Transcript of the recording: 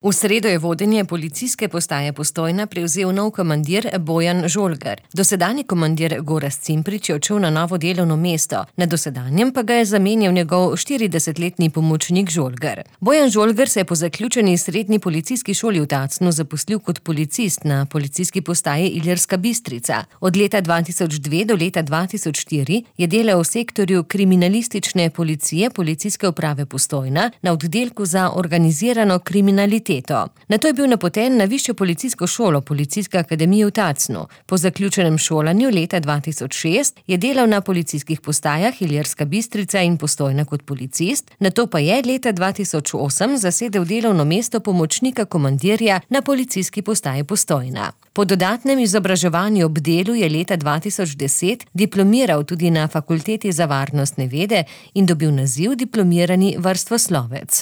V sredo je vodenje policijske postaje Postojna prevzel nov komandir Bojan Žolgar. Dosedanji komandir Gorazd Cimprič je odšel na novo delovno mesto, na dosedanjem pa ga je zamenjal njegov 40-letni pomočnik Žolgar. Bojan Žolgar se je po zaključeni srednji policijski šoli v Tacnu zaposlil kot policist na policijski postaji Ilirska Bistrica. Od leta 2002 do leta 2004 je delal v sektorju kriminalistične policije Policijske uprave Postojna na oddelku za organizirano kriminaliteto. Nato je bil napoten na višjo policijsko šolo Policijske akademije v Tacnu. Po zaključenem šolanju leta 2006 je delal na policijskih postajah Ilirska Bistrica in Postojna kot policist, nato pa je leta 2008 zasedel delovno mesto pomočnika komandirja na policijski postaji Postojna. Po dodatnem izobraževanju ob delu je leta 2010 diplomiral tudi na Fakulteti za varnostne vede in dobil naziv diplomirani vrstoslovec.